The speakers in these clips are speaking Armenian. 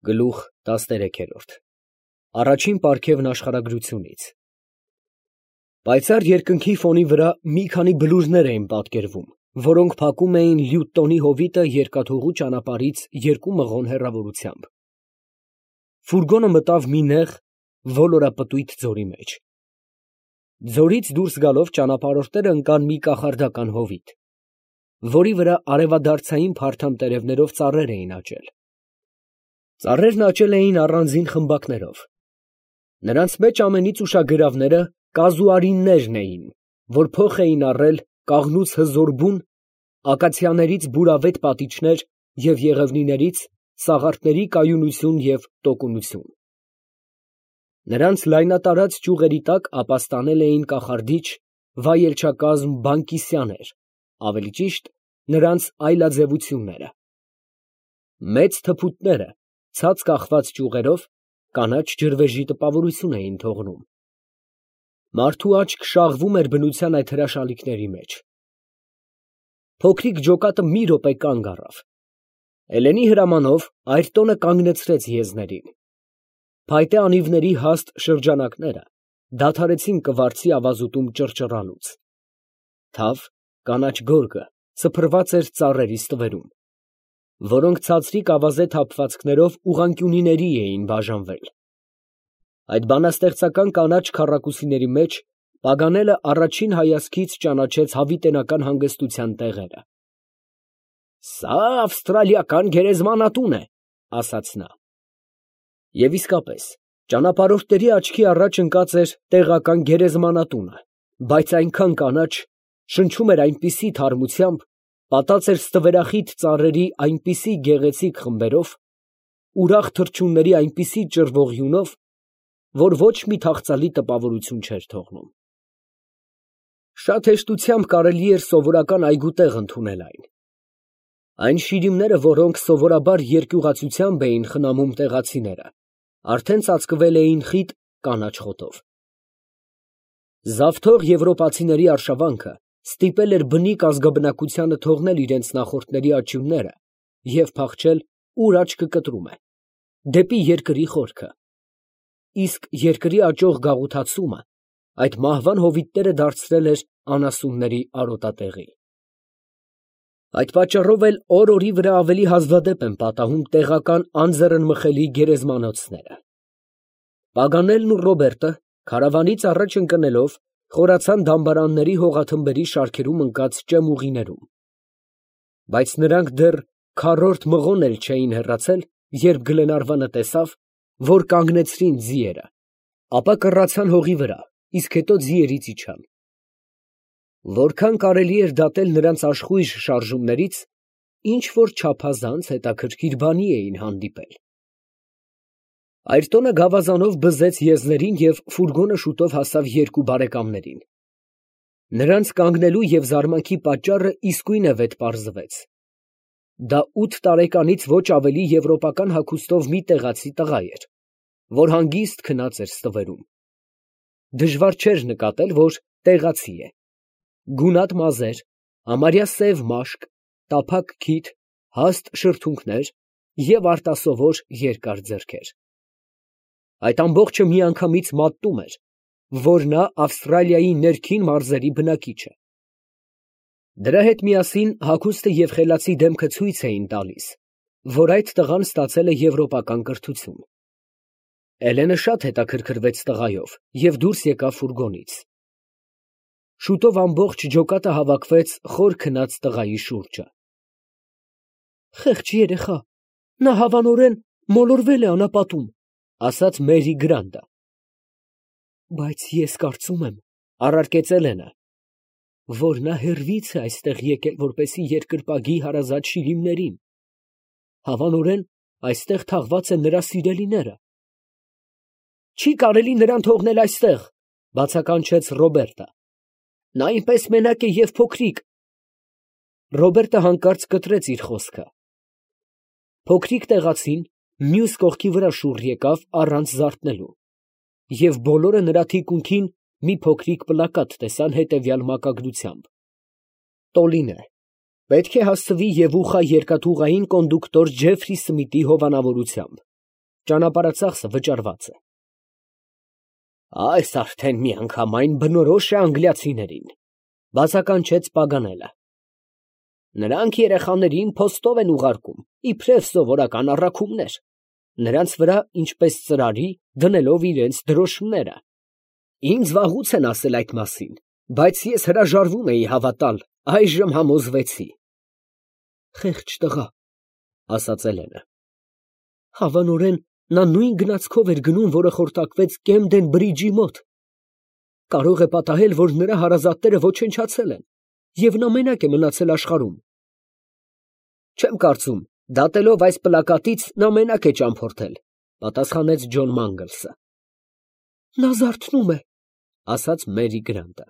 Գլուխ 13 Առաջին պարգևն աշխարհագրությունից Պայծառ երկնքի ֆոնի վրա մի քանի բլուրներ էին պատկերվում, որոնք փակում էին լյութ տոնի հովիտը երկաթուղու ճանապարհից 2 մղոն հեռավորությամբ։ Ֆուրգոնը մտավ մի նեղ, ոլորապտույտ ձորի մեջ։ Ձորից դուրս գալով ճանապարհորդները ընկան մի կախարդական հովիտ, որի վրա արևադարձային փարթամ տերևներով ծառեր էին աճել։ Ծառերն աճել էին առանձին խմբակներով։ Նրանց մեջ ամենից ուշագրավները կազուարիններն էին, որ փոխ էին առել կաղնուց հզոր բուն, ակացիաներից բուրավետ պատիճներ և եղևնիներից սաղարթների կայունություն և տոկունություն։ Նրանց լայնատարած ճյուղերի տակ ապաստանել էին կախարդիչ վայելչակազմ բանկիսյաներ, ավելի ճիշտ, նրանց այլաձևությունները։ Մեծ թփուտները, ցած կախված ճյուղերով, կանաչ ջրվեժի տպավորություն էին թողնում։ Մարդու աչք շաղվում էր բնության այդ հրաշալիքների մեջ։ Փոքրիկ ջոկատը մի րոպե կանգ առավ։ Էլենի հրամանով այրտոնը կանգնեցրեց եզներին։ Փայտե անիվների հաստ շրջանակները դադարեցին կվարձի ավազուտում ճռճռալուց։ Թավ, կանաչ գորգը սփռված էր ծառերի ստվերում, որոնք ցածրիկ ավազե թափվածքներով ուղղանկյունիների էին բաժանվել։ Այդ բանաստեղծական կանաչ քառակուսիների մեջ Պագանելը առաջին հայացքից ճանաչեց հավիտենական հանգստության տեղերը։ «Սա ավստրալիական գերեզմանատուն է», ասաց նա։ Եվ իսկապես, ճանապարհորդների աչքի առաջ ընկած էր տեղական գերեզմանատունը, բայց այնքան կանաչ, շնչում էր այնպիսի թարմությամբ, պատած էր ստվերախիտ ծառերի այնպիսի գեղեցիկ խմբերով, ուրախ թռչունների այնպիսի ճռվող յունով, որ ոչ մի թախծալի տպավորություն չէր թողնում։ Շատ հեշտությամբ կարելի էր սովորական այգուտեղ ընդունել այն։ Այն շիրիմները, որոնք սովորաբար երկյուղացությամբ էին խնամում տեղացիները, արդեն ծածկվել էին խիտ կանաչ խոտով։ Զավթող եվրոպացիների արշավանքը ստիպել էր բնիկ ազգաբնակությանը թողնել իրենց նախորդների աճյունները և փախչել, ուր աչքը կտրում է, դեպի երկրի խորքը։ Իսկ երկրի աճող գաղութացումը այդ մահվան հովիտները դարձրել էր անասունների արոտատեղի։ Այդ պատճառով էլ օր֊օրի վրա ավելի հազվադեպ են պատահում տեղական անձեռնմխելի գերեզմանոցները։ Պագանելն ու Ռոբերտը քարավանից առաջ ընկնելով խորացան դամբարանների հողաթմբերի շարքերում ընկած ճեմուղիներում։ Բայց նրանք դեռ քառորդ մղոն էլ չէին հեռացել, երբ Գլենարվանը տեսավ, որ կանգնեցրին ձիերը, ապա կռացան հողի վրա, իսկ հետո ձիերից իջան։ Որքան կարելի էր դատել նրանց աշխույժ շարժումներից, ինչ֊որ չափազանց հետաքրքիր բանի էին հանդիպել։ Այրտոնը գավազանով բզեց եզներին և ֆուրգոնը շուտով հասավ երկու բարեկամներին։ Նրանց կանգնելու և զարմանքի պատճառը իսկույն վետ պարզվեց։ Դա 8 տարեկանից ոչ ավելի եվրոպական հագուստով մի տեղացի տղա էր, որ հանգիստ քնած էր ստվերում։ Դժվար չէր նկատել, որ տեղացի է։ Գունատ մազեր, համարյա սև մաշկ, տափակ քիթ, հաստ շրթունքներ և արտասովոր երկար ձեռքեր։ Այդ ամբողջը միանգամից մատնում էր, որ նա Ավստրալիայի ներքին մարզերի բնակիչ է։ Դրա հետ միասին հագուստը և խելացի դեմքը ցույց էին տալիս, որ այդ տղան ստացել է եվրոպական կրթություն։ Էլենը շատ հետաքրքրվեց տղայով և դուրս եկավ ֆուրգոնից։ Շուտով ամբողջ ջոկատը հավաքվեց խոր քնած տղայի շուրջը։ «Խեղճ երեխա, նա հավանորեն մոլորվել է անապատում», ասաց Մերի Գրանտը։ «Բայց ես կարծում եմ, ֊ առարկեց Էլենը, ֊ որ նա հեռվից է այստեղ եկել, որպեսզի երկրպագի հարազատ շիրիմներին։ Հավանորեն այստեղ թաղված են նրա սիրելիները»։ «Չի կարելի նրան թողնել այստեղ, ֊ բացականչեց Ռոբերտը, ֊ նա այնպես մենակ է և փոքրիկ»։ Ռոբերտը հանկարծ կտրեց իր խոսքը։ Փոքրիկ տեղացին մյուս կողքի վրա շուռ եկավ առանց զարթնելու, և բոլորը նրա թիկունքին մի փոքրիկ պլակատ տեսան հետևյալ մակագրությամբ. Տոլինե. պետք է հասցվի Եվուխա երկաթուղային կոնդուկտոր Ջեֆրի Սմիթի հովանավորությամբ։ Ճանապարհածախսը վճարված է։ Այս արդեն միանգամայն բնորոշ է անգլիացիներին, բացականչեց Պագանելը։ Նրանք երեխաներին փոստով են ուղարկում, իբրև սովորական առաքումներ, նրանց վրա, ինչպես ծրարի, դնելով իրենց դրոշմները։ Ինձ վաղուց են ասել այդ մասին, բայց ես հրաժարվում էի հավատալ, այժմ համոզվեցի։ Խեղճ տղա, ասաց Էլենը։ Հավանորեն նա նույն գնացքով էր գնում, որը խորտակվեց Կեմդեն բրիջի մոտ։ Կարող է պատահել, որ նրա հարազատները ոչնչացել են, և նա մենակ է մնացել աշխարհում։ Չեմ կարծում, դատելով այս պլակատից նա մենակ է ճամփորդել, պատասխանեց Ջոն Մանգլսը։ Նա զարթնում է, ասաց Մերի Գրանտը։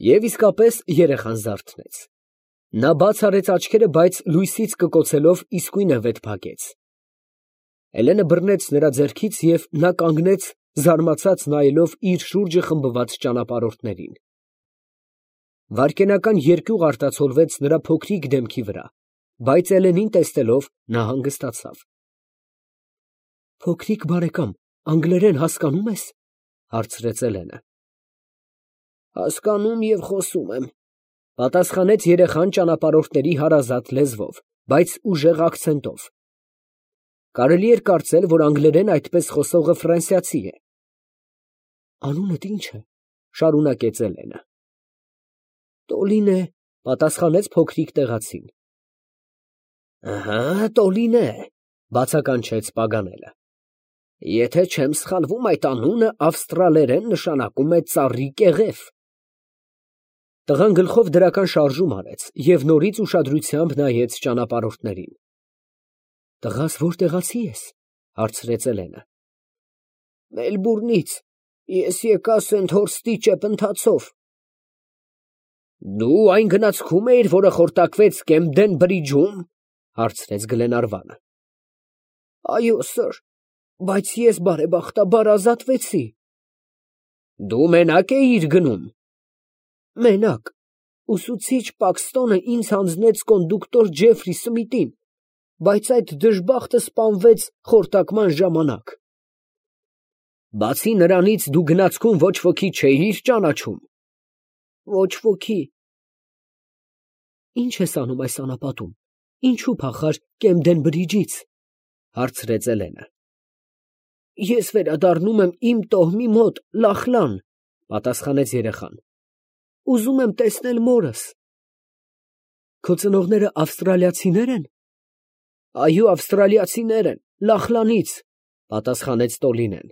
Եվ իսկապես երեխան զարթնեց։ Նա բաց արեց աչքերը, բայց լույսից կկոցելով իսկույն վետ փակեց։ Էլենը բռնեց նրա ձեռքից և նա կանգնեց, զարմացած նայելով իր շուրջը խմբված ճանապարհորդներին։ Վայրկենական երկյուղ արտացոլվեց նրա փոքրիկ դեմքի վրա, բայց Էլենին տեսնելով նա հանգստացավ։ Փոքրիկ բարեկամ, անգլերեն հասկանում ես, հարցրեց Էլենը։ Հասկանում և խոսում եմ, պատասխանեց երեխան ճանապարհորդների հարազատ լեզվով, բայց ուժեղ ակցենտով։ Կարելի էր կարծել, որ անգլերեն այդպես խոսողը ֆրանսիացի է։ Անունդ ի՞նչ է, շարունակեց Էլենը։ Տոլինե, պատասխանեց փոքրիկ տեղացին։ Ահա, Տոլինե, բացականչեց Պագանելը։ Եթե չեմ սխալվում, այդ անունը ավստրալերեն նշանակում է ծառի կեղև։ Տղան գլխով դրական շարժում արեց և նորից ուշադրությամբ նայեց ճանապարհորդներին։ Տղաս որտեղացի ես, հարցրեց Էլենը։ Մելբուրնից, ես եկա Սենթ Հորստի ճեպընթացով։ Դու այն գնացքում էիր, որը խորտակվեց Կեմդեն բրիջում, հարցրեց Գլենարվանը։ Այո, սըր, բայց ես բարեբախտաբար ազատվեցի։ Դու մենակ էիր գնում։ Մենակ, ուսուցիչ Պաքստոնը ինձ հանձնեց կոնդուկտոր Ջեֆրի Սմիթին, բայց այդ դժբախտը սպանվեց խորտակման ժամանակ։ Բացի նրանից դու գնացքում ոչ ոքի չէիր ճանաչում։ Ոչ ոքի։ Ինչ ես անում այս անապատում, ինչու փախար Կեմդեն բրիջից, հարցրեց Էլենը։ Ես վերադառնում եմ իմ տոհմի մոտ, Լախլան, պատասխանեց երեխան։ Ուզում եմ տեսնել մորս։ Քո ծնողները ավստրալիացիներ են։ Այո, ավստրալիացիներ են, Լախլանից, պատասխանեց Տոլինեն։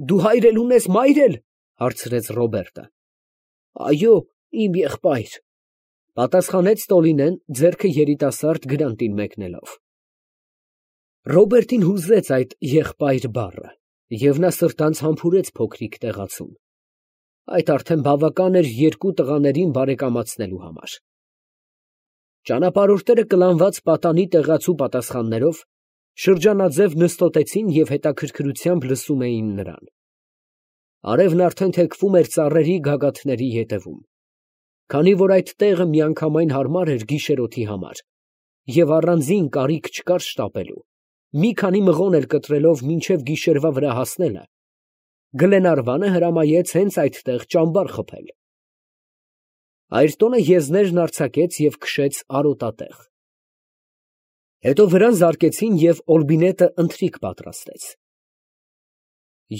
Դու հայր էլ ունես, մայր էլ, հարցրեց Ռոբերտը։ Այո, իմ եղբայր, պատասխանեց Տոլինեն, ձեռքը երիտասարդ Գրանտին մեկնելով։ Ռոբերտին հուզեց այդ եղբայր բառը, և նա սրտանց համբուրեց փոքրիկ տեղացուն։ Այդ արդեն բավական էր երկու տղաներին բարեկամացնելու համար։ Ճանապարհորդները կլանված պատանի տեղացու պատասխաններով շրջանաձև նստոտեցին և հետաքրքրությամբ լսում էին նրան։ Արևն արդեն թեքվում էր ծառերի գագաթների ետևում, քանի որ այդ տեղը միանգամայն հարմար էր գիշերօթի համար, և առանձին կարիք չկար շտապելու, մի քանի մղոն էլ կտրելով մինչև գիշերվա վրա հասնելը, Գլենարվանը հրամայեց հենց այդտեղ ճամբար խփել։ Այրտոնը եզներն արձակեց և քշեց արոտատեղ։ Հետո վրան զարկեցին և Օլբինետը ընթրիք պատրաստեց։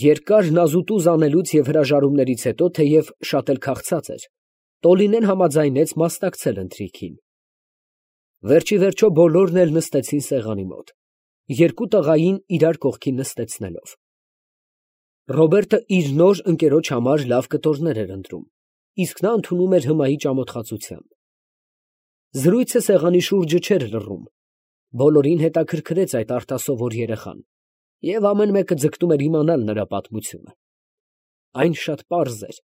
Երկար նազուտուզ անելուց և հրաժարումներից հետո, թեև շատ էլ քաղցած էր, Տոլինեն համաձայնեց մասնակցել ընթրիքին։ Վերջիվերջո բոլորն էլ նստեցին սեղանի մոտ, երկու տղային իրար կողքին նստեցնելով։ Ռոբերտը իր նոր ընկերոջ համար լավ կտորներ էր ընտրում, իսկ նա ընդունում էր հմայի ճամոթխածությամբ։ Զրույցը սեղանի շուրջը չէր լռում, բոլորին հետաքրքրեց այդ արտասովոր երեխան, և ամեն մեկը ձգտում էր իմանալ նրա պատմությունը։ Այն շատ պարզ էր։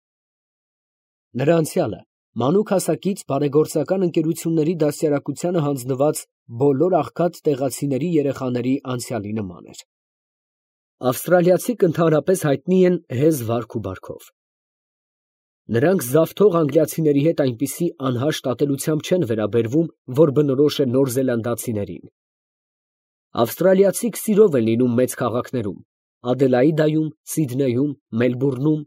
Նրա անցյալը մանուկ հասակից բարեգործական ընկերությունների դաստիարակությանը հանձնված բոլոր աղքատ տեղացիների երեխաների անցյալի նման էր։ Ավստրալիացիք ընդհանրապես հայտնի են հեզ վարք ու բարքով։ Նրանք զավթող անգլիացիների հետ այնպիսի անհաշտ ատելությամբ չեն վերաբերվում, որ բնորոշ է նորզելանդացիներին։ Ավստրալիացիք սիրով են լինում մեծ քաղաքներում, Ադելաիդայում, Սիդնեյում, Մելբուրնում։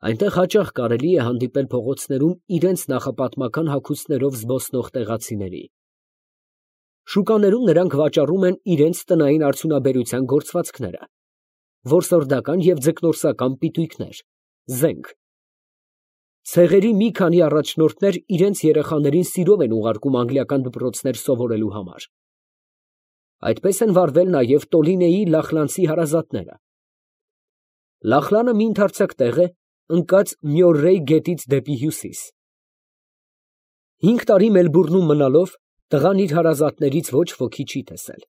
Այնտեղ հաճախ կարելի է հանդիպել փողոցներում իրենց նախապատմական հագուստներով զբոսնող տեղացիների։ Շուկաներում նրանք վաճառում են իրենց տնային արդյունաբերության գործվածքները, որսորդական և ձկնորսական պիտույքներ, զենք։ Ցեղերի մի քանի առաջնորդներ իրենց երեխաներին սիրով են ուղարկում անգլիական դպրոցներ սովորելու համար։ Այդպես են վարվել նաև Տոլինեի լախլանցի հարազատները։ Լախլանը մի ընդարձակ տեղ է, ընկած Մյորրեյ գետից դեպի հյուսիս։ 5 տարի Մելբուրնում մնալով տղան իր հարազատներից ոչ ոքի չի տեսել։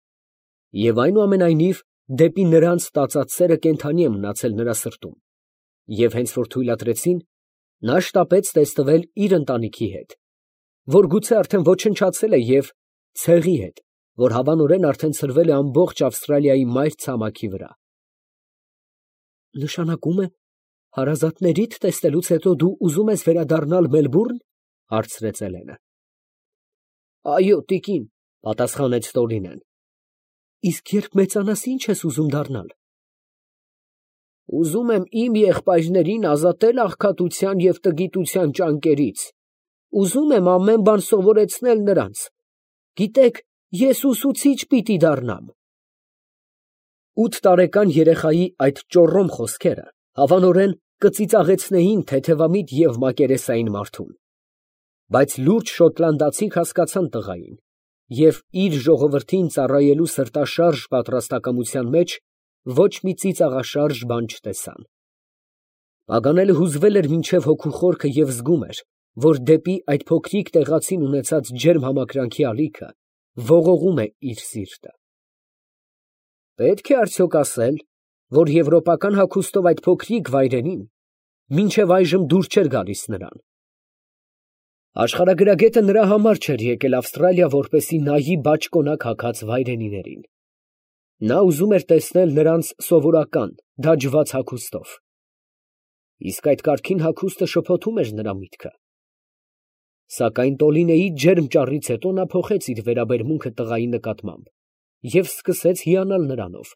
Եվ այնուամենայնիվ դեպի նրանց տածած սերը կենդանի է մնացել նրա սրտում։ Եվ հենց որ թույլատրեցին, նա շտապեց տեսնվել իր ընտանիքի հետ, որ գուցե արդեն ոչնչացել է, և ցեղի հետ, որ հավանորեն արդեն ցրվել է ամբողջ Ավստրալիայի մայր ցամաքի վրա։ Նշանակում է, հարազատներիդ տեսնելուց հետո դու ուզում ես վերադառնալ Մելբուրն, հարցրեց Էլենը։ Այո, տիկին, պատասխանեց Տորինեն։ Իսկ երբ մեծանաս, ինչ ես ուզում դառնալ։ Ուզում եմ իմ եղբայրներին ազատել աղքատության և տգիտության ճանկերից։ Ուզում եմ ամեն բան սովորեցնել նրանց։ Գիտեք, ես ուսուցիչ պիտի դառնամ։ 8 տարեկան երեխայի այդ ճոռոմ խոսքերը հավանորեն կծիծաղեցնեին թեթևամիտ և մակերեսային մարդուն։ Բայց լուրջ շոտլանդացիք հասկացան տղային և իր ժողովրդին ծառայելու սրտաշարժ պատրաստակամության մեջ ոչ մի ծիծաղաշարժ բան չտեսան։ Պագանելը հուզվել էր մինչև հոգու խորքը և զգում էր, որ դեպի այդ փոքրիկ տեղացին ունեցած ջերմ համակրանքի ալիքը ողողում է իր սիրտը։ Պետք է արդյոք ասել, որ եվրոպական հագուստով այդ փոքրիկ վայրենին մինչև այժմ դուր չէր գալիս նրան։ Աշխարհագրագետը նրա համար չէր եկել Ավստրալիա, որպեսզի նայի բաճկոնակ հագած վայրենիներին։ Նա ուզում էր տեսնել նրանց սովորական, դաջված հագուստով։ Իսկ այդ կարգին հագուստը շփոթում էր նրա միտքը։ Սակայն Տոլինեի ջերմ ճառից հետո նա փոխեց իր վերաբերմունքը տղայի նկատմամբ և սկսեց հիանալ նրանով,